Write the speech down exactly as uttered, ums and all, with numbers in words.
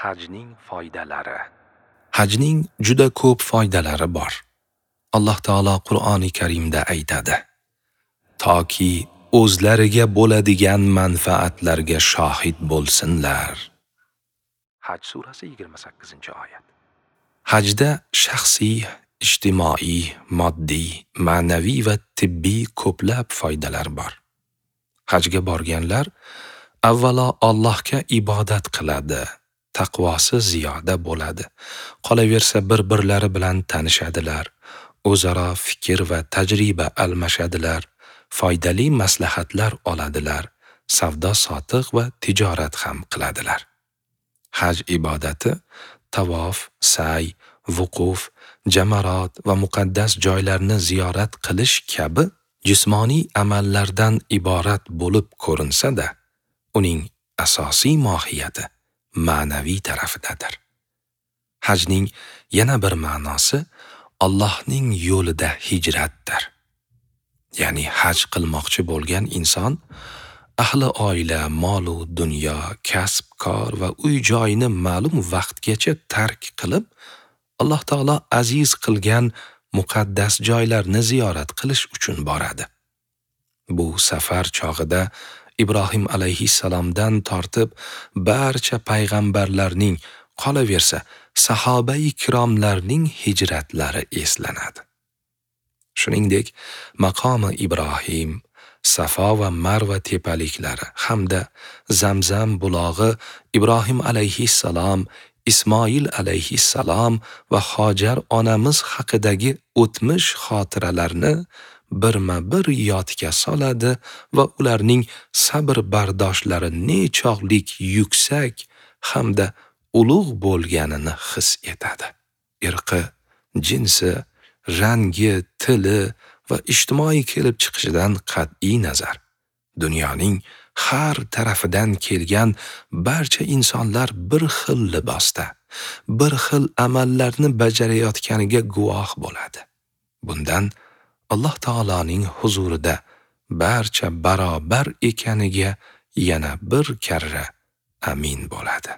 Hajning foydalari. Hajning juda ko'p foydalari bor. Alloh taolo Qur'oni Karimda aytadi: toki o'zlariga bo'ladigan manfaatlarga shohid bo'lsinlar. Haj surasi yigirma sakkizinchi oyat. Hajda shaxsiy, ijtimoiy, moddiy, ma'naviy va tibbiy ko'plab foydalar bor. Hajga borganlar avvalo Allohga ibodat qiladi, taqvosi ziyoda bo'ladi. Qolaversa bir-birlari bilan tanishadilar, o'zaro fikr va tajriba almashadilar, foydali maslahatlar oladilar, savdo-sotiq va tijorat ham qiladilar. Haj ibodati tavof, sa'y, vuquf, jamarot va muqaddas joylarni ziyorat qilish kabi jismoniy amallardan iborat bo'lib ko'rinsa-da, uning asosiy mohiyati ma'naviy tarafidadir. Hajning yana bir ma'nosi Allohning yo'lida hijratdir. Ya'ni haj qilmoqchi bo'lgan inson ahli oila, mol-u dunyo, kasb-kor va uy-joyini ma'lum vaqtgacha tark qilib, Alloh taolo aziz qilgan muqaddas joylarni ziyorat qilish uchun boradi. Bu safar chog'ida Ibrohim alayhissalomdan tortib barcha payg'ambarlarning, qolaversa sahobai kiromlarning hijratlari eslanadi. Shuningdek, maqomi Ibrohim, Safo va Marva tepaliklari hamda Zamzam bulog'i Ibrohim alayhissalom, Ismoil alayhissalom va Hojar onamiz haqidagi o'tmish xotiralarni birma-bir yodga soladi va ularning sabr bardoshlari nechog'lik yuksak hamda ulug' bo'lganini his etadi. Irqi, jinsi, rangi, tili va ijtimoiy kelib chiqishidan qat'iy nazar, dunyoning har tarafidan kelgan barcha insonlar bir xil libosda, bir xil amallarni bajarayotganiga guvoh bo'ladi. Bundan Alloh taoloning huzurida barcha barobar ekaniga yana bir karra amin bo'ladi.